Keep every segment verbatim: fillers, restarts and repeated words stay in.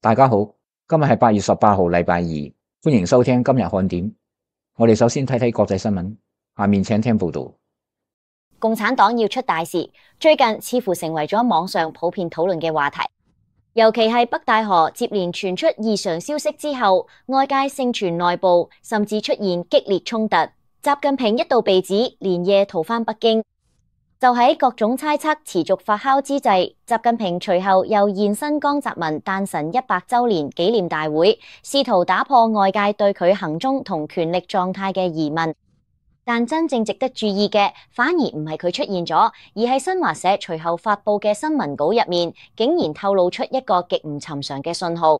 大家好，今日係八月十八號，禮拜二，歡迎收聽今日看點。我哋首先睇睇國際新聞，下面請聽報道。共產黨要出大事，最近似乎成為咗網上普遍討論嘅話題。尤其係北戴河接連傳出異常消息之後，外界盛傳內部甚至出現激烈衝突。習近平一度被指連夜逃返北京。就喺各種猜測持續發酵之際，習近平隨後又現身江澤民誕辰一百週年紀念大會，試圖打破外界對佢行蹤同權力狀態嘅疑問。但真正值得注意嘅，反而唔係佢出現咗，而係新華社隨後發佈嘅新聞稿入面，竟然透露出一個極唔尋常嘅信號。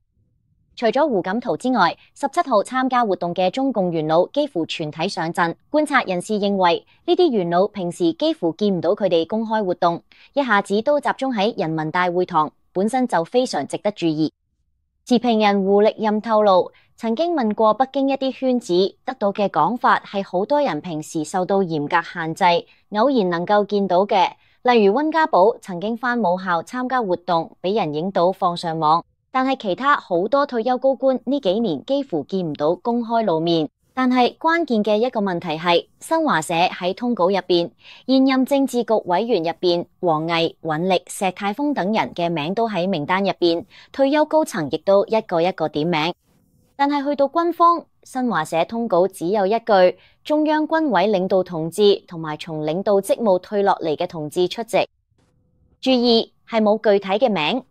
除咗胡錦濤之外，十七號參加活動嘅中共元老幾乎全體上陣。觀察人士認為，呢啲元老平時幾乎見唔到佢哋公開活動，一下子都集中喺人民大會堂，本身就非常值得注意。持評人胡力任透露，曾經問過北京一啲圈子，得到嘅講法係好多人平時受到嚴格限制，偶然能夠見到嘅，例如溫家寶曾經返母校參加活動，俾人影到放上網。但係其他好多退休高官呢幾年幾乎見唔到公開露面。但係關鍵嘅一個問題係，新華社喺通稿入邊，現任政治局委員入邊，王毅、尹力、石泰峰等人嘅名都喺名單入邊，退休高層亦都一個一個點名。但係去到軍方，新華社通稿只有一句：中央軍委領導同志同埋從領導職務退落嚟嘅同志出席。注意係冇具體嘅名。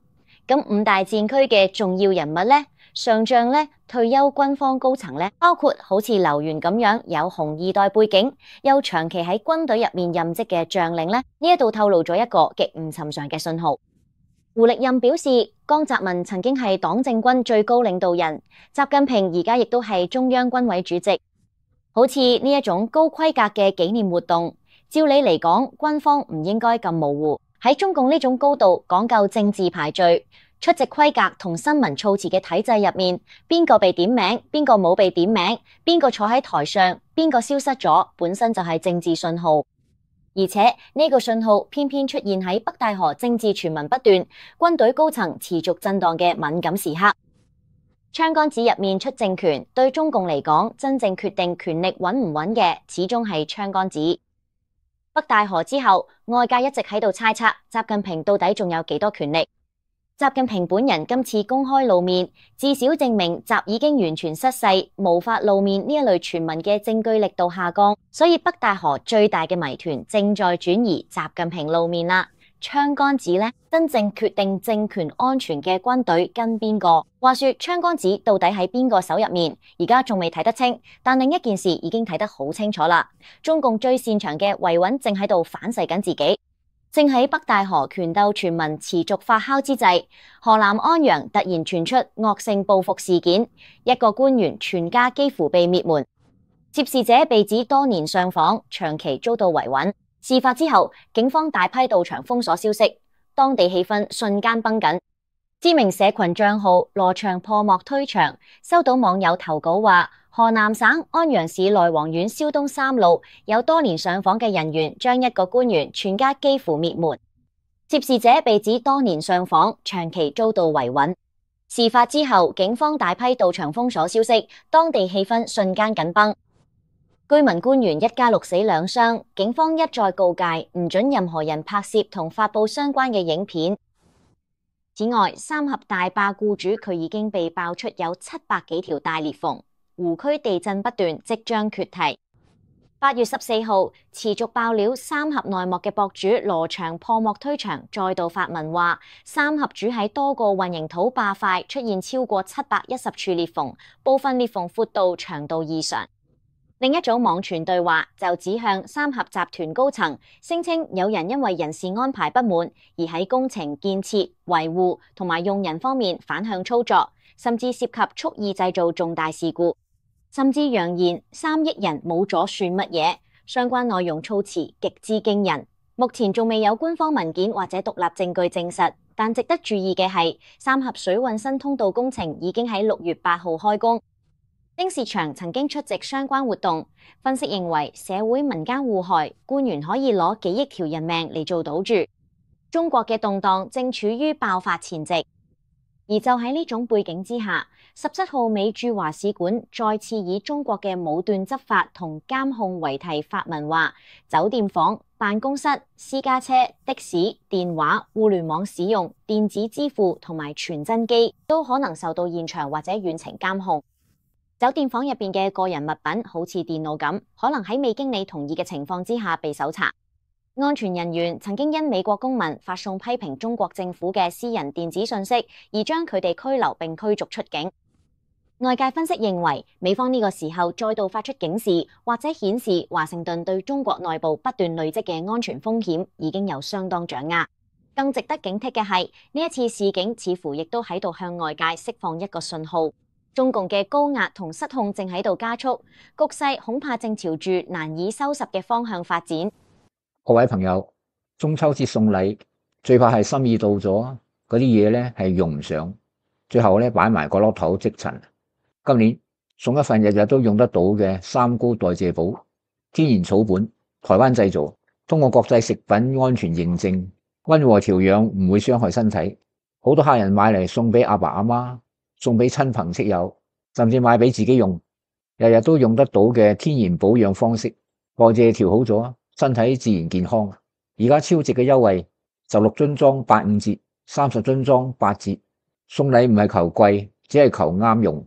咁五大戰區嘅重要人物呢？上將呢？退休軍方高層呢？包括好似劉源咁樣有紅二代背景，又長期喺軍隊入面任職嘅將領呢？呢一度透露咗一個極唔尋常嘅信號。胡力任表示，江澤民曾經係黨政軍最高領導人，習近平而家亦都係中央軍委主席。好似呢一種高規格嘅紀念活動，照理嚟講，軍方唔應該咁模糊。喺中共呢種高度講究政治排序、出席規格同新聞措辭嘅體制入面，邊個被點名，邊個冇被點名，邊個坐喺台上，邊個消失咗，本身就係政治信號。而且呢個信號偏偏出現喺北戴河政治傳聞不斷、軍隊高層持續震盪嘅敏感時刻。槍桿子入面出政權，對中共嚟講，真正決定權力穩唔穩嘅，始終係槍桿子。北戴河之後，外界一直喺度猜測習近平到底仲有幾多權力。習近平本人今次公開露面，至少證明習已經完全失勢，無法露面呢一類傳聞嘅證據力度下降。所以北戴河最大嘅謎團正在轉移，習近平露面啦。槍桿子呢？真正決定政權安全嘅軍隊跟邊個？話說槍桿子到底喺邊個手入面？而家仲未睇得清，但另一件事已經睇得好清楚啦。中共最擅長嘅維穩正喺度反噬緊自己。正喺北戴河權鬥傳聞持續發酵之際，河南安陽突然傳出惡性報復事件，一個官員全家幾乎被滅門，涉事者被指多年上訪，長期遭到維穩。事發之後，警方大批到場封鎖消息，當地氣氛瞬間繃緊。知名社群賬號羅祥破幕推牆，收到網友投稿話，河南省安陽市內黃縣蕭東三路有多年上訪嘅人員將一個官員全家幾乎滅門。涉事者被指多年上訪，長期遭到維穩。事發之後，警方大批到場封鎖消息，當地氣氛瞬間緊繃。居民官員一家六死兩傷，警方一再告誡唔准任何人拍攝同發佈相關嘅影片。此外，三峽大壩僱主佢已經被爆出有七百幾條大裂縫，湖區地震不斷，即將決堤。八月十四號，持續爆料三峽內幕嘅博主羅祥破幕推牆，再度發文話，三峽主喺多個混凝土壩塊出現超過七百一十處裂縫，部分裂縫闊度長度異常。另一組網傳對話就指向三峽集團高層，聲稱有人因為人事安排不滿而喺工程建設、維護同埋用人方面反向操作，甚至涉及蓄意製造重大事故，甚至揚言三億人冇咗算乜嘢。相關內容措辭極之驚人。目前仲未有官方文件或者獨立證據證實，但值得注意嘅係，三峽水運新通道工程已經喺六月八號開工。丁薛祥曾經出席相關活動，分析認為社會民間互害，官員可以攞幾億條人命嚟做賭注。中國嘅動盪正處於爆發前夕。而就喺呢種背景之下，十七號美駐華使館再次以中國嘅武斷執法同監控為題發文話，酒店房、辦公室、私家車、的士、電話、互聯網使用、電子支付同埋傳真機都可能受到現場或者遠程監控。酒店房入邊嘅個人物品好似電腦咁，可能喺未經你同意嘅情況之下被搜查。安全人員曾經因美國公民發送批評中國政府嘅私人電子信息，而將佢哋拘留並驅逐出境。外界分析認為，美方呢個時候再度發出警示，或者顯示華盛頓對中國內部不斷累積嘅安全風險已經有相當掌握。更值得警惕嘅係，呢一次示警似乎亦都喺度向外界釋放一個信號，中共嘅高壓同失控正喺度加速，局勢恐怕正朝住難以收拾嘅方向發展。各位朋友，中秋節送禮最怕係心意到咗，嗰啲嘢咧係用唔上，最後咧擺埋個落頭積塵。今年送一份日日都用得到嘅三高代謝寶，天然草本，台灣製造，通過國際食品安全認證，溫和調養，唔會傷害身體。好多客人買嚟送俾阿爸阿媽，送俾親朋戚友，甚至買俾自己用，日日都用得到嘅天然保養方式，代謝調好咗，身體自然健康。而家超值嘅優惠，十六樽裝八五折，三十樽裝八折。送禮唔係求貴，只係求啱用。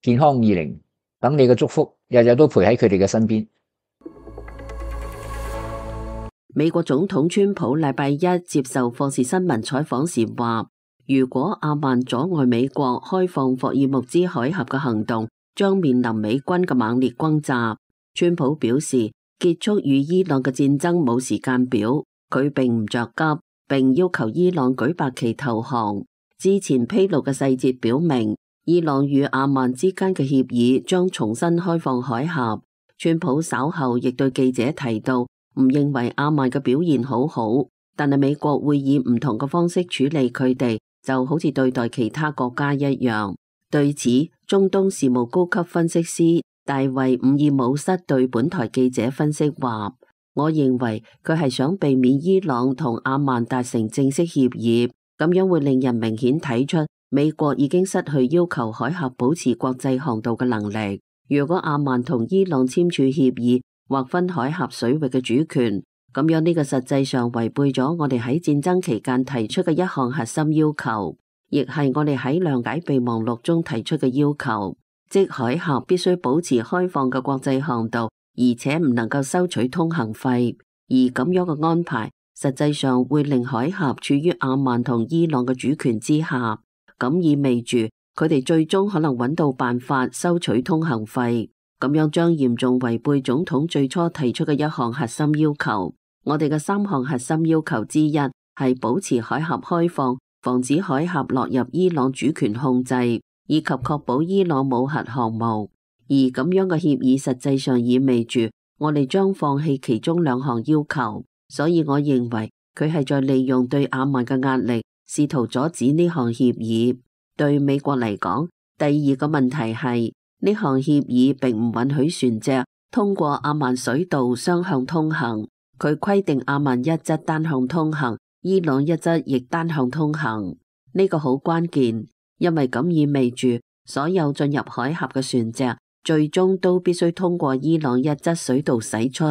健康二零，等你嘅祝福日日都陪喺佢哋嘅身邊。美國總統川普禮拜一接受霍士新聞採訪時話，如果阿曼阻礙美國開放霍爾木茲海峽嘅行動，將面臨美軍嘅猛烈轟炸。川普表示，結束與伊朗嘅戰爭冇時間表，佢並唔着急，並要求伊朗舉白旗投降。之前披露嘅細節表明，伊朗與阿曼之間嘅協議將重新開放海峽。川普稍後亦對記者提到，唔認為阿曼嘅表現好好，但係美國會以唔同嘅方式處理佢哋，就好似對待其他國家一樣。對此，中東事務高級分析師大衛伍爾姆塞對本台記者分析話，我認為佢係想避免伊朗同阿曼達成正式協議，咁樣會令人明顯睇出美國已經失去要求海峽保持國際航道嘅能力。如果阿曼同伊朗簽署協議，劃分海峽水域嘅主權，咁樣呢個實際上違背咗我哋喺戰爭期間提出嘅一項核心要求，亦係我哋喺諒解備忘錄中提出嘅要求，即海峽必須保持開放嘅國際航道，而且唔能夠收取通行費。而咁樣嘅安排，實際上會令海峽處於阿曼同伊朗嘅主權之下，咁意味住佢哋最終可能揾到辦法收取通行費。咁樣將嚴重違背總統最初提出嘅一項核心要求。我哋嘅三項核心要求之一係保持海峽開放，防止海峽落入伊朗主權控制，以及確保伊朗冇核項目。而咁樣嘅協議實際上意味住我哋將放棄其中兩項要求。所以我認為佢係在利用對阿曼嘅壓力，試圖阻止呢項協議。對美國嚟講，第二個問題係，呢項協議並唔允許船隻通過阿曼水道雙向通行，佢規定阿曼一則單向通行，伊朗一則亦單向通行。呢個好關鍵，因為咁意味住所有進入海峽嘅船隻最終都必須通過伊朗一則水道駛出，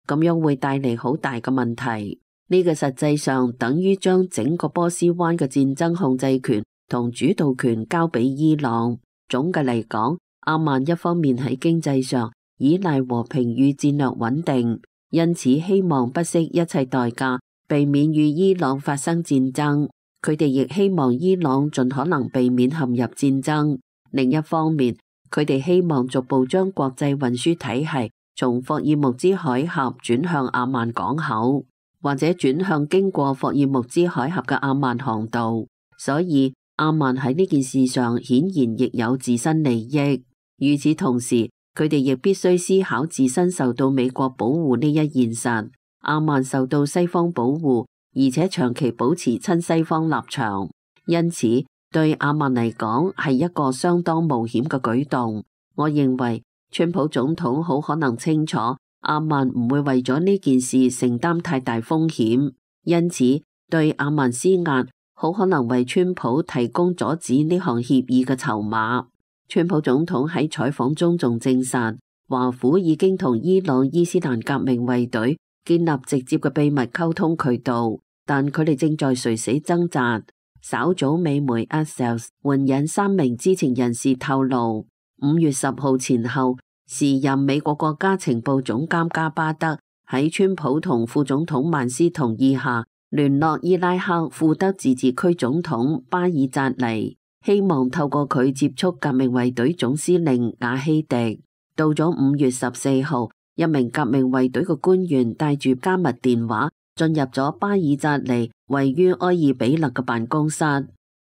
咁樣會帶嚟好大嘅問題。呢個實際上等於將整個波斯灣嘅戰爭控制權同主導權交俾伊朗。總嘅嚟講，阿曼一方面喺經濟上依賴和平與戰略穩定，因此希望不惜一切代價避免與伊朗發生戰爭。佢哋亦希望伊朗盡可能避免陷入戰爭。另一方面，佢哋希望逐步將國際運輸體系從霍爾木茲海峽轉向阿曼港口，或者轉向經過霍爾木茲海峽嘅阿曼航道。所以阿曼喺呢件事上顯然亦有自身利益。與此同時，佢哋亦必須思考自身受到美國保護呢一現實。阿曼受到西方保護，而且長期保持親西方立場，因此對阿曼嚟講係一個相當冒險嘅舉動。我認為川普總統好可能清楚阿曼唔會為咗呢件事承擔太大風險，因此對阿曼施壓好可能為川普提供阻止呢項協議嘅籌碼。川普總統喺採訪中仲證實，華府已經同伊朗伊斯蘭革命衛隊建立直接嘅秘密溝通渠道，但佢哋正在垂死掙扎。稍早美媒 Axios 援引三名知情人士透露，五月十號前後，時任美國國家情報總監加巴德喺川普同副總統曼斯同意下，聯絡伊拉克庫德自治區總統巴爾扎尼，希望透過佢接觸革命衛隊總司令瓦希迪。到咗五月十四號，一名革命衛隊嘅官員帶住加密電話進入咗巴爾扎尼位於埃爾比勒嘅辦公室。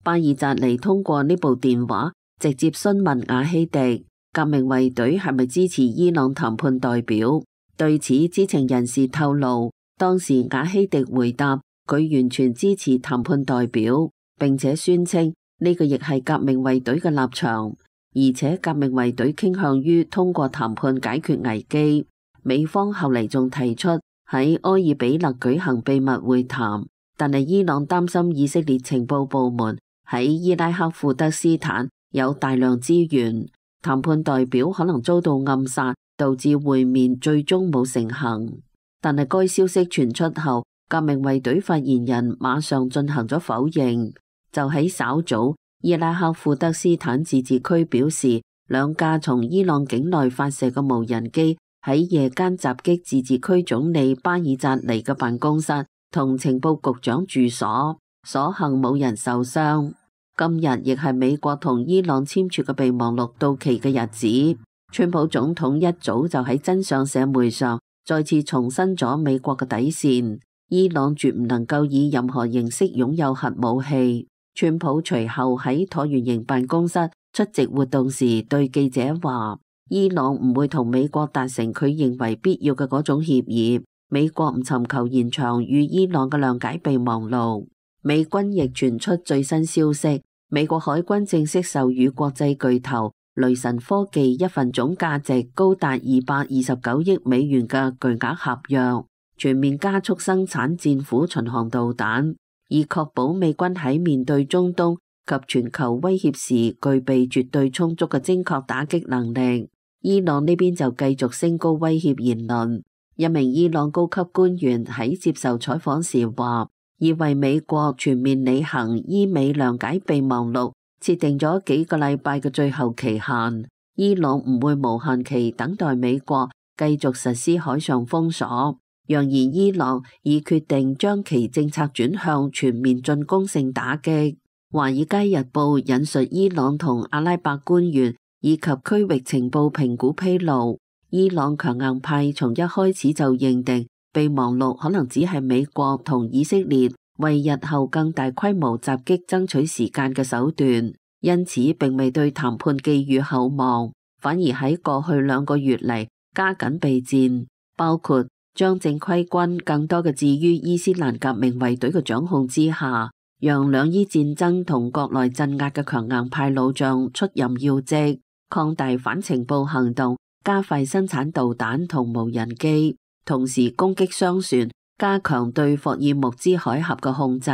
巴爾扎尼通過呢部電話直接詢問瓦希迪，革命衛隊係咪支持伊朗談判代表？對此，知情人士透露，當時瓦希迪回答佢完全支持談判代表，並且宣稱呢個亦係革命衛隊嘅立場，而且革命衛隊傾向於通過談判解決危機。美方後嚟仲提出喺埃爾比勒舉行秘密會談，但係伊朗擔心以色列情報部門喺伊拉克庫德斯坦有大量資源，談判代表可能遭到暗殺，導致會面最終冇成行。但係該消息傳出後，革命衛隊發言人馬上進行咗否認。就喺稍早，伊拉克庫德斯坦自治區表示，兩架從伊朗境內發射嘅無人機喺夜間襲擊自治區總理巴爾扎尼嘅辦公室同情報局長住所，所幸冇人受傷。今日亦係美國同伊朗簽署嘅備忘錄到期嘅日子。川普總統一早就喺真相社媒上再次重申咗美國嘅底線，伊朗絕唔能夠以任何形式擁有核武器。川普隨後喺橢圓形辦公室出席活動時對記者話，伊朗唔會同美國達成佢認為必要嘅嗰種協議，美國唔尋求延長與伊朗嘅諒解備忘錄。美軍亦傳出最新消息，美國海軍正式授予國際巨頭雷神科技一份總價值高達二百二十九億美元嘅巨額合約，全面加速生產戰斧巡航導彈，以確保美軍喺面對中東及全球威脅時具備絕對充足嘅精確打擊能力。伊朗呢邊就繼續升高威脅言論。一名伊朗高級官員喺接受採訪時話，已為美國全面履行伊美諒解備忘錄設定咗幾個禮拜嘅最後期限，伊朗唔會無限期等待美國繼續實施海上封鎖，揚言伊朗已決定將其政策轉向全面進攻性打擊。華爾街日報引述伊朗同阿拉伯官員以及區域情報評估披露，伊朗強硬派從一開始就認定備忘錄可能只係美國同以色列為日後更大規模襲擊爭取時間嘅手段，因此並未對談判寄予厚望，反而喺過去兩個月嚟加緊備戰，包括將正規軍更多嘅置於伊斯蘭革命衛隊嘅掌控之下，讓兩伊戰爭同國內鎮壓嘅強硬派老將出任要職，擴大反情報行動，加快生產導彈同無人機，同時攻擊商船，加強對霍爾木茲海峽嘅控制，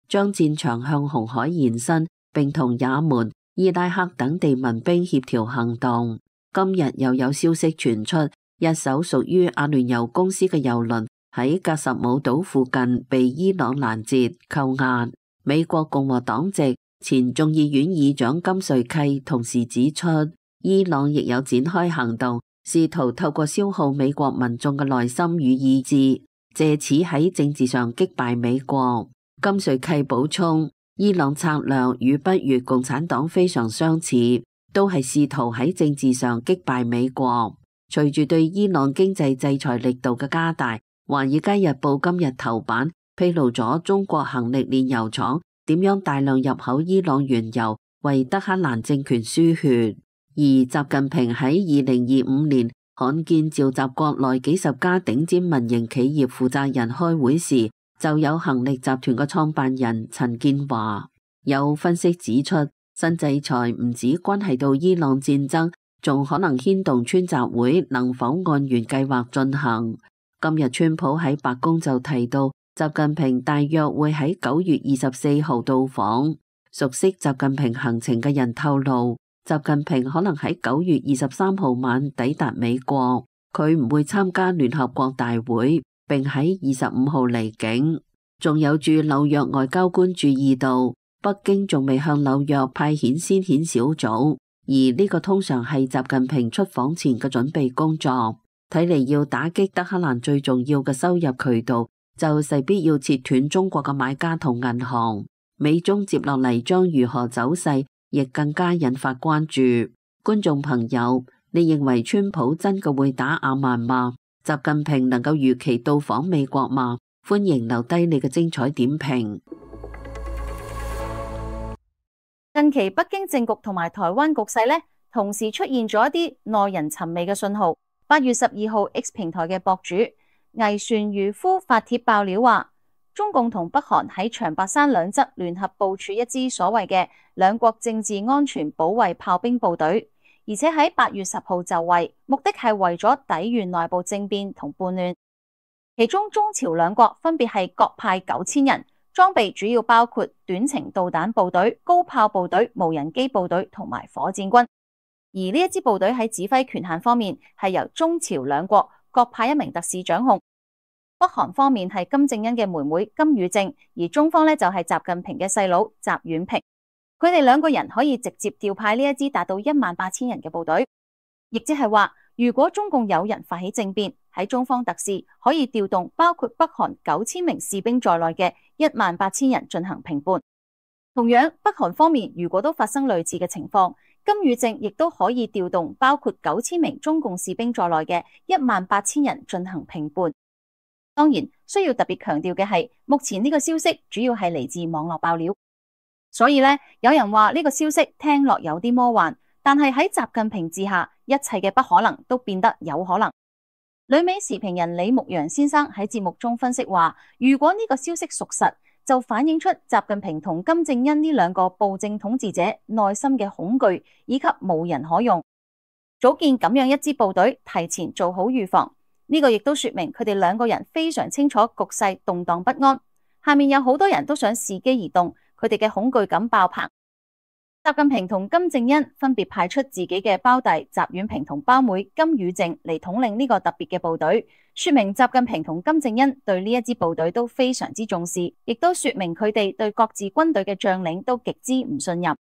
將戰場向紅海延伸，並同也門、伊拉克等地民兵協調行動。今日又有消息傳出，一艘屬於阿聯酋公司嘅郵輪喺格什姆島附近被伊朗攔截扣押。美國共和黨籍前眾議院議長金瑞契同時指出，伊朗亦有展開行動，試圖透過消耗美國民眾嘅耐心與意志，借此喺政治上擊敗美國。金瑞契補充，伊朗策略與北越共產黨非常相似，都係試圖喺政治上擊敗美國。隨住對伊朗經濟制裁力度嘅加大，華爾街日報今日頭版披露咗中國恒力煉油廠點樣大量入口伊朗原油，為德黑蘭政權輸血。而習近平喺二零二五年罕見召集國內幾十家頂尖民營企業負責人開會時，就有恒力集團嘅創辦人陳建華。有分析指出，新制裁唔止關係到伊朗戰爭，仲可能牽動川習會能否按原計劃進行。今日川普喺白宮就提到，習近平大約會喺九月二十四號到訪。熟悉習近平行程嘅人透露，習近平可能喺九月二十三號晚抵達美國，佢唔會參加聯合國大會，並喺二十五號離境。仲有駐紐約外交官注意到，北京仲未向紐約派遣先遣小組，而呢個通常係習近平出訪前嘅準備工作。睇嚟要打擊德黑蘭最重要嘅收入渠道，就勢必要切斷中國嘅買家同銀行。美中接落嚟將如何走勢，亦更加引發關注。觀眾朋友，你認為川普真嘅會打阿曼嗎？習近平能夠如期到訪美國嗎？歡迎留低你嘅精彩點評。近期北京政局同埋台灣局勢呢，同時出現咗一啲耐人尋味嘅信號。八月十二號 X 平台嘅博主魏旋漁夫發帖爆料話，中共同北韓喺長白山兩側聯合部署一支所謂嘅兩國政治安全保衛炮兵部隊，而且喺八月十號就位，目的係為咗抵禦內部政變同叛亂。其中中朝兩國分別係各派九千人，裝備主要包括短程導彈部隊、高炮部隊、無人機部隊同埋火箭軍。而呢一支部隊喺指揮權限方面係由中朝兩國各派一名特使掌控。北韓方面係金正恩嘅妹妹金與正，而中方呢就係習近平嘅細佬習遠平。佢哋兩個人可以直接調派呢一支達到一萬八千人嘅部隊，亦即係話，如果中共有人發起政變，喺中方特使可以調動包括北韓九千名士兵在內嘅一萬八千人進行平叛。同樣，北韓方面如果都發生類似嘅情況，金與正亦都可以調動包括九千名中共士兵在內嘅一萬八千人進行平叛。當然，需要特別強調嘅係，目前呢個消息主要係嚟自網絡爆料，所以呢，有人話呢個消息聽落有啲魔幻，但係喺習近平治下，一切嘅不可能都變得有可能。旅美時評人李牧陽先生喺節目中分析話，如果呢個消息屬實，就反映出習近平同金正恩呢兩個暴政統治者內心嘅恐懼以及無人可用，組建咁樣一支部隊，提前做好預防。呢個亦都說明佢哋兩個人非常清楚局勢動盪不安，下面有好多人都想伺機而動，佢哋嘅恐懼感爆棚。習近平同金正恩分別派出自己嘅胞弟習遠平同胞妹金與正嚟統領呢個特別嘅部隊，說明習近平同金正恩對呢一支部隊都非常之重視，亦都說明佢哋對各自軍隊嘅將領都極之唔信任。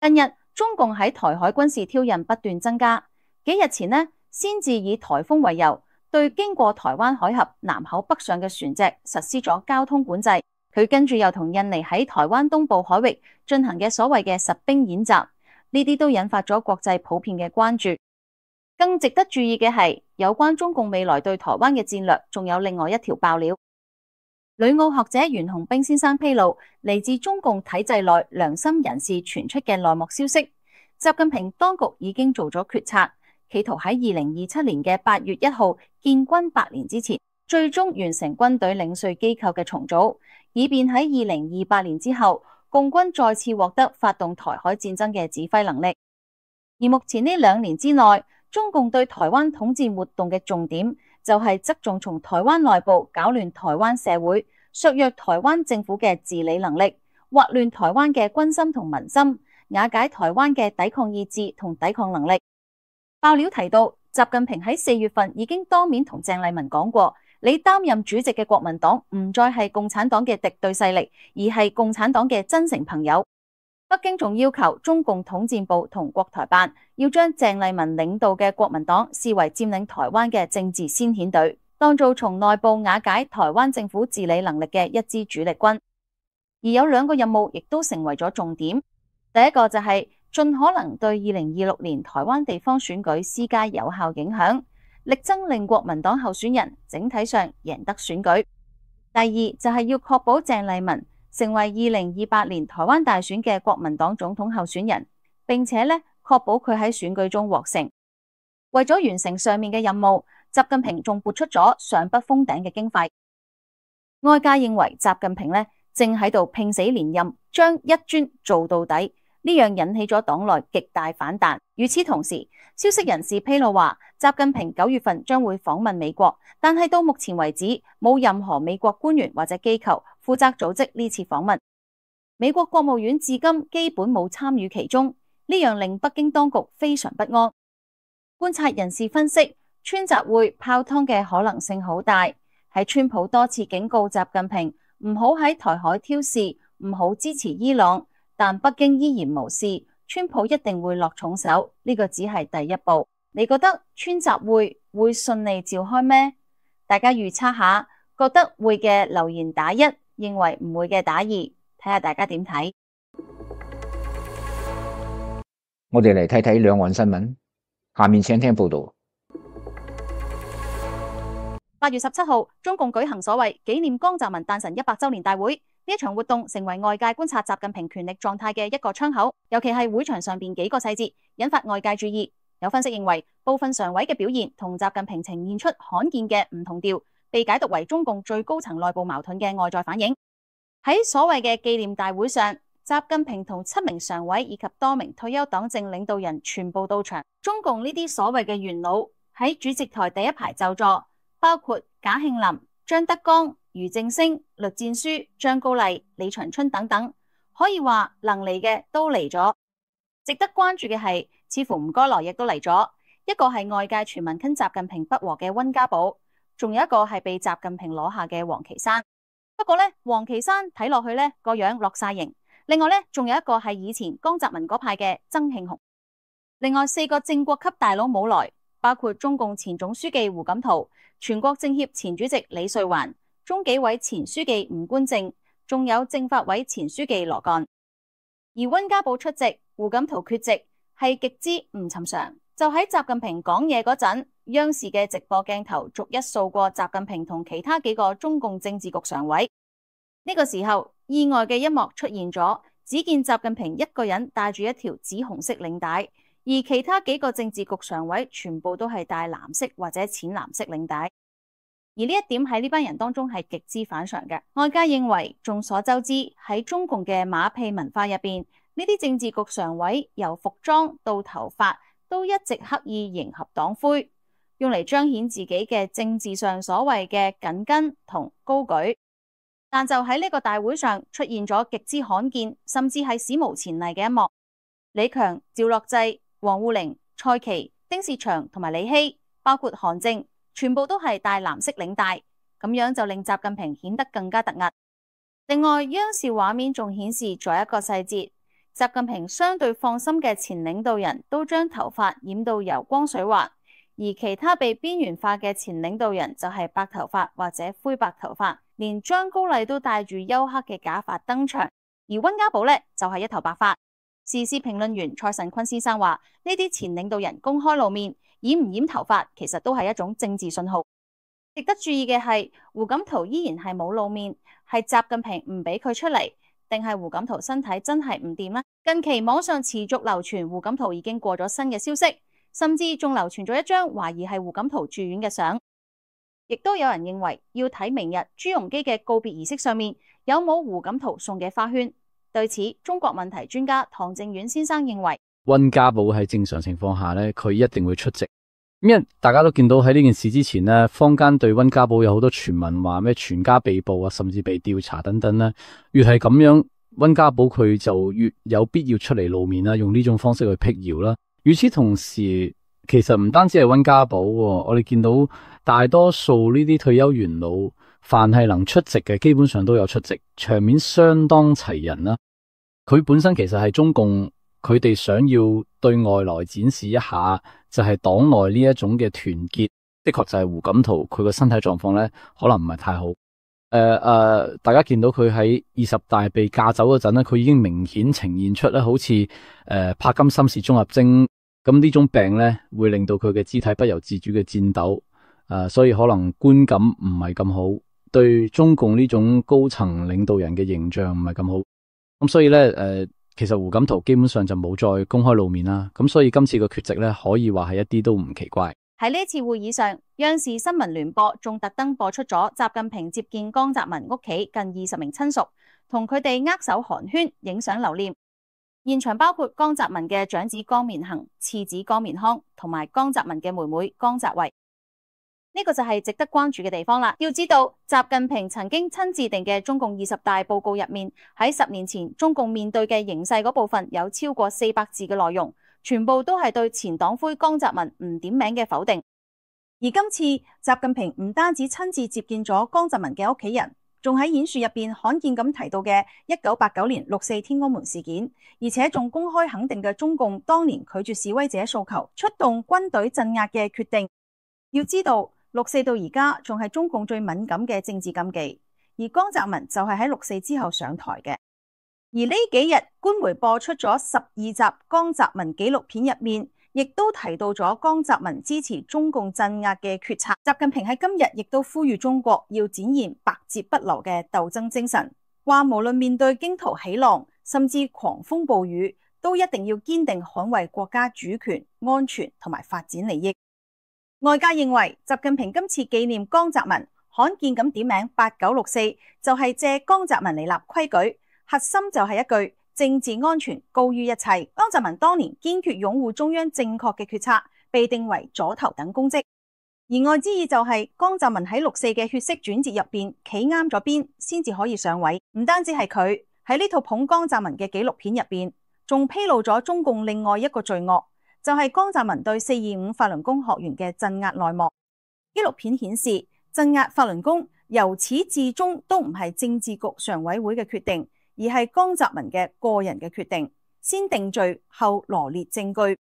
近日中共喺台海軍事挑釁不斷增加，幾日前呢，先至以台風為由，對經過台灣海峽南口北上嘅船隻實施咗交通管制。佢跟住又同印尼喺台灣東部海域進行嘅所謂嘅實兵演習，呢啲都引發咗國際普遍嘅關注。更值得注意嘅係，有關中共未來對台灣嘅戰略，仲有另外一條爆料。旅澳學者袁紅冰先生披露，嚟自中共體制內良心人士傳出嘅內幕消息，習近平當局已經做咗決策，企圖喺二零二七年嘅八月一號建軍百年之前，最終完成軍隊領稅機構嘅重組，以便喺二零二八年之後，共軍再次獲得發動台海戰爭嘅指揮能力。而目前呢兩年之內，中共對台灣統戰活動嘅重點就係側重從台灣內部搞亂台灣社會，削弱台灣政府嘅治理能力，劃亂台灣嘅軍心同民心，瓦解台灣嘅抵抗意志同抵抗能力。爆料提到，習近平喺四月份已經當面同鄭麗文講過，你擔任主席嘅國民黨唔再係共產黨嘅敵對勢力，而係共產黨嘅真誠朋友。北京仲要求中共統戰部同國台辦要將鄭麗文領導嘅國民黨視為佔領台灣嘅政治先遣隊，當做從內部瓦解台灣政府治理能力嘅一支主力軍。而有兩個任務亦都成為咗重點，第一個就係盡可能對二零二六年台灣地方選舉施加有效影響，力爭令國民黨候選人整體上贏得選舉。第二就係要確保鄭麗文成為二零二八年台灣大選嘅國民黨總統候選人，並且咧確保佢喺選舉中獲勝。為咗完成上面嘅任務，習近平仲撥出咗上不封頂嘅經費。外界認為習近平咧正喺度拼死連任，將一專做到底，呢樣引起咗黨內極大反彈。與此同時，消息人士披露話，習近平九月份將會訪問美國，但係到目前為止冇任何美國官員或者機構負責組織呢次訪問。美國國務院至今基本冇參與其中，呢樣令北京當局非常不安。觀察人士分析，川習會泡湯嘅可能性好大。喺川普多次警告習近平唔好喺台海挑事，唔好支持伊朗，但北京依然無視，川普一定會落重手。呢個只係第一步。你覺得川習會會順利召開咩？大家預測下，覺得會嘅留言打一，認為唔會嘅打二，睇下大家點睇。我哋嚟睇睇兩岸新聞，下面請聽報道。八月十七號，中共舉行所謂紀念江澤民誕辰一百周年大會，呢一場活動成為外界觀察習近平權力狀態嘅一個窗口，尤其係會場上邊幾個細節，引發外界注意。有分析認為，部分常委嘅表現同習近平呈現出罕見嘅唔同調，被解讀為中共最高層內部矛盾嘅外在反映。喺所謂嘅紀念大會上，習近平同七名常委以及多名退休黨政領導人全部到場。中共呢啲所謂嘅元老喺主席台第一排就座，包括賈慶林、張德江、俞正聲、栗戰書、張高麗、李長春等等，可以話能嚟嘅都嚟咗。值得關注嘅係，似乎唔該來亦都嚟咗。一個係外界傳聞跟習近平不和嘅溫家寶，仲有一個係被習近平攞下嘅王岐山。不過呢，王岐山睇落去呢個樣落晒型。另外呢，仲有一個係以前江澤民嗰派嘅曾慶紅。另外四個正國級大佬冇來，包括中共前總書記胡錦濤、全國政協前主席李瑞環、中紀委前書記吳官正，仲有政法委前書記羅幹。而溫家寶出席，胡錦濤缺席，係極之唔尋常。就喺習近平講嘢嗰陣，央視嘅直播鏡頭逐一掃過習近平同其他幾個中共政治局常委。呢個時候，意外嘅一幕出現咗，只見習近平一個人帶住一條紫紅色領帶，而其他幾個政治局常委全部都係帶藍色或者淺藍色領帶。而呢一點喺呢班人當中係極之反常嘅。外界認為，眾所周知喺中共嘅馬屁文化入邊，呢啲政治局常委由服裝到頭髮都一直刻意迎合黨徽，用嚟彰顯自己嘅政治上所謂嘅緊跟同高舉。但就喺呢個大會上出現咗極之罕見，甚至係史無前例嘅一幕。李強、趙樂際、王滬寧、蔡奇、丁薛祥同埋李希，包括韓正，全部都係帶藍色領帶，咁樣就令習近平顯得更加突兀。另外，央視畫面仲顯示咗一個細節，習近平相對放心嘅前領導人都將頭髮染到油光水滑，而其他被邊緣化嘅前領導人就係白頭髮或者灰白頭髮，連張高麗都戴住黝黑嘅假髮登場，而溫家寶呢，就係、是、一頭白髮。時事評論員蔡慎坤先生話：呢啲前領導人公開露面，染唔染頭髮其實都係一種政治信號。值得注意嘅係，胡錦濤依然係冇露面，係習近平唔俾佢出嚟，定係胡錦濤身體真係唔掂呢？近期網上持續流傳胡錦濤已經過咗身嘅消息，甚至仲流傳咗一張懷疑係胡錦濤住院嘅相。亦都有人認為要睇明日朱鎔基嘅告別儀式上面有冇胡錦濤送嘅花圈。對此，中國問題專家唐正遠先生認為，溫家寶喺正常情況下咧，佢一定會出席。因為大家都見到喺呢件事之前咧，坊間對溫家寶有好多傳聞，話咩全家被捕啊，甚至被調查等等咧。越係咁樣，溫家寶佢就越有必要出嚟露面啦，用呢種方式去辟謠啦。與此同時，其實唔單止係溫家寶，我哋見到大多數呢啲退休元老，凡係能出席嘅，基本上都有出席，場面相當齊人啦。佢本身其實係中共，佢哋想要對外來展示一下，就係黨內呢一種嘅團結。的確就係胡錦濤佢個身體狀況咧，可能唔係太好。誒、呃、誒、呃，大家見到佢喺二十大被架走嗰陣咧，佢已經明顯呈現出咧，好似誒、呃、帕金森氏綜合徵。咁呢種病咧，會令到佢嘅肢體不由自主嘅顫抖，誒、呃，所以可能觀感唔係咁好，對中共呢種高層領導人嘅形象唔係咁好。咁所以咧，誒、呃，其實胡錦濤基本上就冇再公開露面啦。咁所以今次嘅缺席咧，可以話係一啲都唔奇怪。喺呢次會議上，央視新聞聯播仲特登播出咗習近平接見江澤民屋企近二十名親屬，同佢哋握手寒暄、影相留念。現場包括江澤民嘅長子江綿恒、次子江綿康同埋江澤民嘅妹妹江澤維。呢個就係值得關注嘅地方啦。要知道，習近平曾經親自定嘅中共二十大報告入面，喺十年前中共面對嘅形勢嗰部分有超過四百字嘅內容，全部都係對前黨魁江澤民唔點名嘅否定。而今次習近平唔單止親自接見咗江澤民嘅屋企人，仲喺演說入邊罕見咁提到嘅一九八九年六四天安門事件，而且仲公開肯定嘅中共當年拒絕示威者訴求、出動軍隊鎮壓嘅決定。要知道，六四到而家仲係中共最敏感嘅政治禁忌，而江澤民就係喺六四之後上台嘅。而呢幾日官媒播出咗十二集江澤民紀錄片入面，亦都提到咗江澤民支持中共鎮壓嘅決策。習近平喺今日亦都呼籲中國要展現百折不撓嘅鬥爭精神，話無論面對驚濤起浪，甚至狂風暴雨，都一定要堅定捍衛國家主權、安全同埋發展利益。外界認為習近平今次紀念江澤民，罕見咁點名八九六四，就係借江澤民嚟立規矩，核心就係一句政治安全高於一切。江澤民當年堅決擁護中央正確嘅決策，被定為左頭等公職。言外之意就係江澤民喺六四嘅血色轉折入邊企啱咗邊，先至可以上位。唔單止係佢喺呢套捧江澤民嘅紀錄片入邊，仲披露咗中共另外一個罪惡，就係江澤民對四二五法輪功學員嘅鎮壓內幕。紀錄片顯示，鎮壓法輪功由始至終都唔係政治局常委會嘅決定，而係江澤民嘅個人嘅決定，先定罪後羅列證據。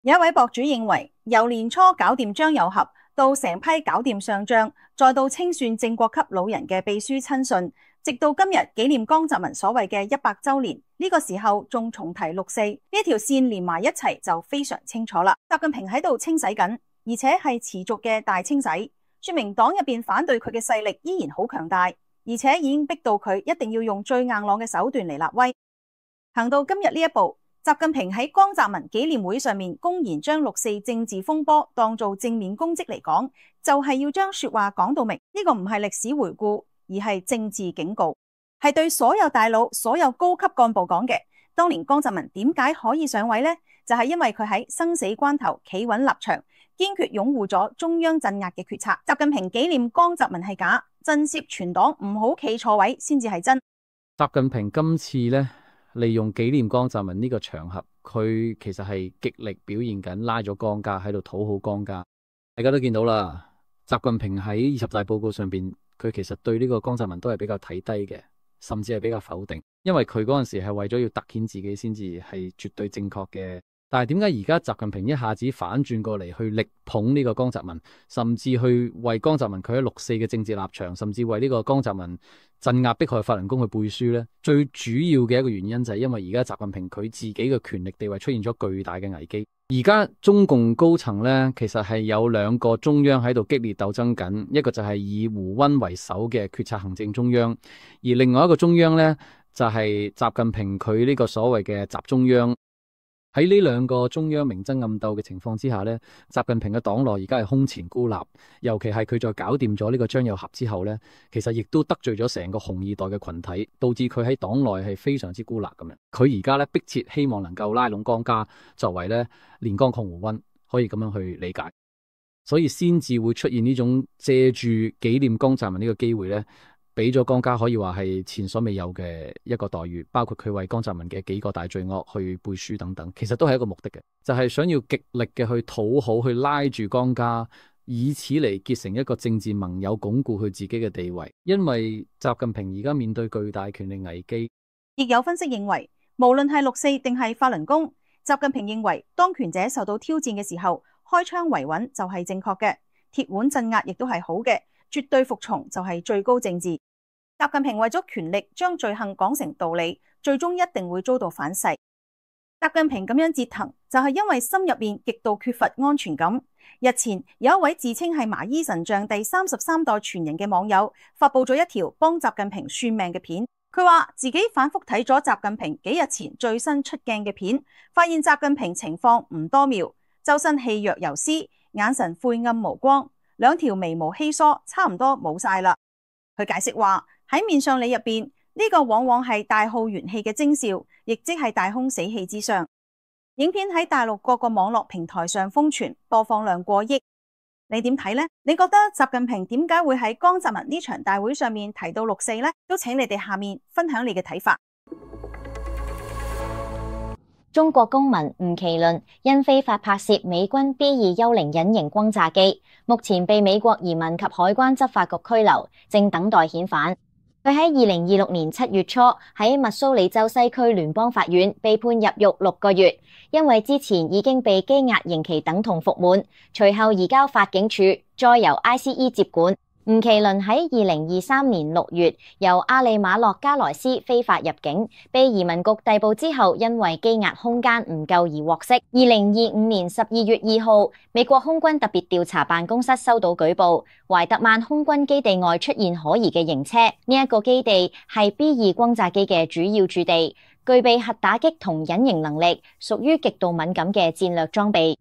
有一位博主認為，由年初搞掂張又俠，到成批搞掂上將，再到清算正國級老人嘅秘書親信，直到今日紀念江澤民所謂嘅一百週年，呢個時候仲重提六四，呢條線連埋一齊就非常清楚啦。習近平喺度清洗緊，而且係持續嘅大清洗，說明黨入邊反對佢嘅勢力依然好強大，而且已經逼到佢一定要用最硬朗嘅手段嚟立威。行到今日呢一步，習近平喺江澤民紀念會上面公然將六四政治風波當做正面攻擊嚟講，就係要將說話講到明。呢個唔係歷史回顧，而係政治警告，係對所有大佬、所有高級幹部講嘅。當年江澤民點解可以上位呢？就係因為佢喺生死關頭企穩立場，堅決擁護咗中央鎮壓嘅決策。習近平紀念江澤民係假，震懾全黨唔好企錯位先至係真。習近平今次呢，利用紀念江澤民呢個場合，佢其實係極力表現緊拉咗江家喺度討好江家。大家都見到啦，習近平喺二十大報告上邊，佢其實對呢個江澤民都係比較睇低嘅，甚至係比較否定，因為佢嗰陣時係為咗要凸顯自己先至係絕對正確嘅。但係點解而家習近平一下子反轉過嚟去力捧呢個江澤民，甚至去為江澤民佢喺六四嘅政治立場，甚至為呢個江澤民鎮壓迫害法輪功去背書呢？最主要嘅一個原因就係因為而家習近平佢自己嘅權力地位出現咗巨大嘅危機。而家中共高層呢，其實係有兩個中央喺度激烈鬥爭緊，一個就係以胡溫為首嘅決策行政中央，而另外一個中央呢，就係習近平佢呢個所謂嘅習中央。喺呢兩個中央明爭暗鬥嘅情況之下呢，習近平嘅黨內而家係空前孤立，尤其係佢再搞掂咗呢個張又俠之後呢，其實亦都得罪咗成個紅二代嘅群體，導致佢喺黨內係非常之孤立咁樣。佢而家呢，迫切希望能夠拉攏江家，作為呢連江抗胡溫，可以咁樣去理解，所以先至會出現呢種借住紀念江澤民呢個機會呢，俾咗江家可以話係前所未有嘅一個待遇，包括佢為江澤民嘅幾個大罪惡去背書等等，其實都係一個目的嘅，就係想要極力嘅去討好，去拉住江家，以此嚟結成一個政治盟友，鞏固佢自己嘅地位。因為習近平而家面對巨大權力危機，亦有分析認為，無論係六四定係法輪功，習近平認為當權者受到挑戰嘅時候，開槍維穩就係正確嘅，鐵腕鎮壓亦都係好嘅。絕對服從就係最高政治。習近平為咗權力將罪行講成道理，最終一定會遭到反噬。習近平咁樣折騰，就係因為心入邊極度缺乏安全感。日前有一位自稱係麻衣神像第三十三代傳人嘅網友，發佈咗一條幫習近平算命嘅片。佢話自己反覆睇咗習近平幾日前最新出鏡嘅片，發現習近平情況唔多妙，周身氣若游絲，眼神晦暗無光。兩條眉毛稀疏，差唔多冇晒啦。佢解釋話喺面相理入邊，呢個往往係大耗元氣嘅徵兆，亦即係大空死氣之傷。影片喺大陸各個網絡平台上瘋傳，播放量過億。你點睇呢？你覺得習近平點解會喺江澤民呢場大會上面提到六四呢？都請你哋下面分享你嘅睇法。中國公民吳麒麟因非法拍攝美軍 B 二幽靈隱形轟炸機，目前被美國移民及海關執法局拘留，正等待遣返。佢喺二零二六年七月初喺密蘇里州西區聯邦法院被判入獄六個月，因為之前已經被羈押刑期等同服滿，隨後移交法警署，再由 I C E 接管。吳麒麟喺二零二三年六月由阿里馬洛加萊斯非法入境，被移民局逮捕之後，因為羈押空間唔夠而獲釋。二零二五年十二月二號，美國空軍特別調查辦公室收到舉報，懷特曼空軍基地外出現可疑嘅型車，呢一個基地係 B 二轟炸機嘅主要駐地，具備核打擊同隱形能力，屬於極度敏感嘅戰略裝備。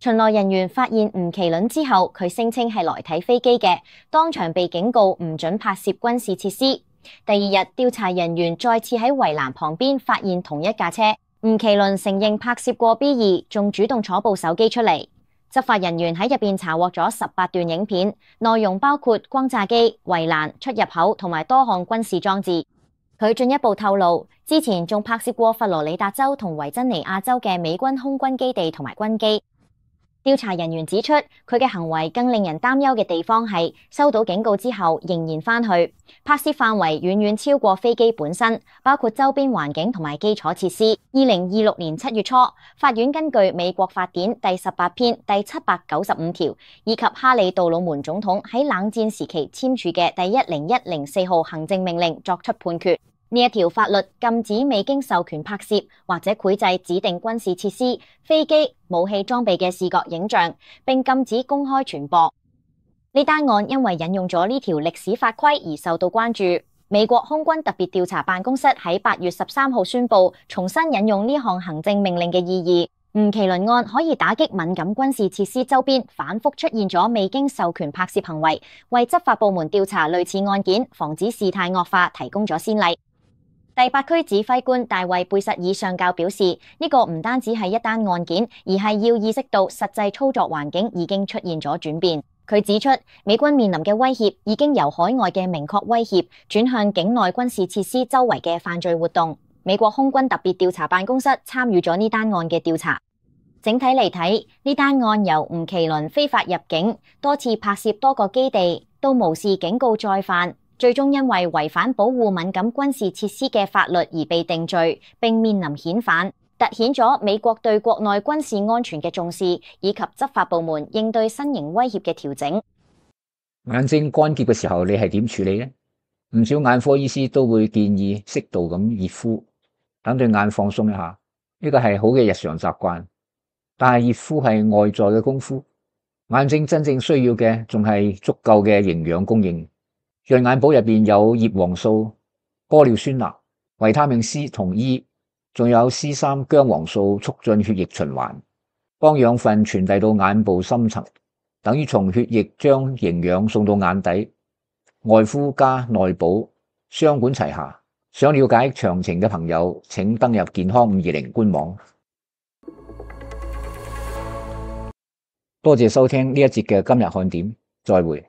巡邏人員發現吳麒麟之後，佢聲稱係來睇飛機嘅，當場被警告唔准拍攝軍事設施。第二日，調查人員再次喺圍欄旁邊發現同一架車，吳麒麟承認拍攝過 B 二，仲主動攞部手機出嚟。執法人員喺入邊查獲咗十八段影片，內容包括轟炸機、圍欄、出入口同埋多項軍事裝置。佢進一步透露，之前仲拍攝過佛羅里達州同維珍尼亞州嘅美軍空軍基地同埋軍機。調查人員指出，佢嘅行為更令人擔憂嘅地方係收到警告之後仍然返去，拍攝範圍遠遠超過飛機本身，包括周邊環境同埋基礎設施。二零二六年七月初，法院根據美國法典第十八篇第七百九十五條以及哈里杜魯門總統喺冷戰時期簽署嘅第一零一零四號行政命令作出判決。呢一條法律禁止未經授權拍攝或者繪製指定軍事設施、飛機、武器裝備嘅視覺影像，並禁止公開傳播。呢單案因為引用咗呢條歷史法規而受到關注。美國空軍特別調查辦公室喺八月十三號宣布，重新引用呢項行政命令嘅意義。吳麒麟案可以打擊敏感軍事設施周邊反覆出現咗未經授權拍攝行為，為執法部門調查類似案件、防止事態惡化提供咗先例。第八區指揮官大衛貝實爾上校表示，呢、這個唔單止係一單案件，而係要意識到實際操作環境已經出現咗轉變。佢指出，美軍面臨嘅威脅已經由海外嘅明確威脅轉向境內軍事設施周圍嘅犯罪活動。美國空軍特別調查辦公室參與咗呢單案嘅調查。整體嚟睇，呢單案由吳麒麟非法入境、多次拍攝多個基地，到無視警告再犯，最終因為違反保護敏感軍事設施嘅法律而被定罪，並面臨遣返，凸顯咗美國對國內軍事安全嘅重視，以及執法部門應對新型威脅嘅調整。眼睛乾澀嘅時候，你係點處理呢？唔少眼科醫師都會建議適度咁熱敷，等對眼放鬆一下，呢個係好嘅日常習慣。但係熱敷係外在嘅功夫，眼睛真正需要嘅仲係足夠嘅營養供應。潤眼寶入邊有葉黃素、玻尿酸鈉、維他命 C 同 E， 仲有 C 三薑黃素，促進血液循環，幫養分傳遞到眼部深層，等於從血液將營養送到眼底。外敷加內補，雙管齊下。想了解詳情嘅朋友，請登入健康五二零官網。多謝收聽呢一節嘅今日看點，再會。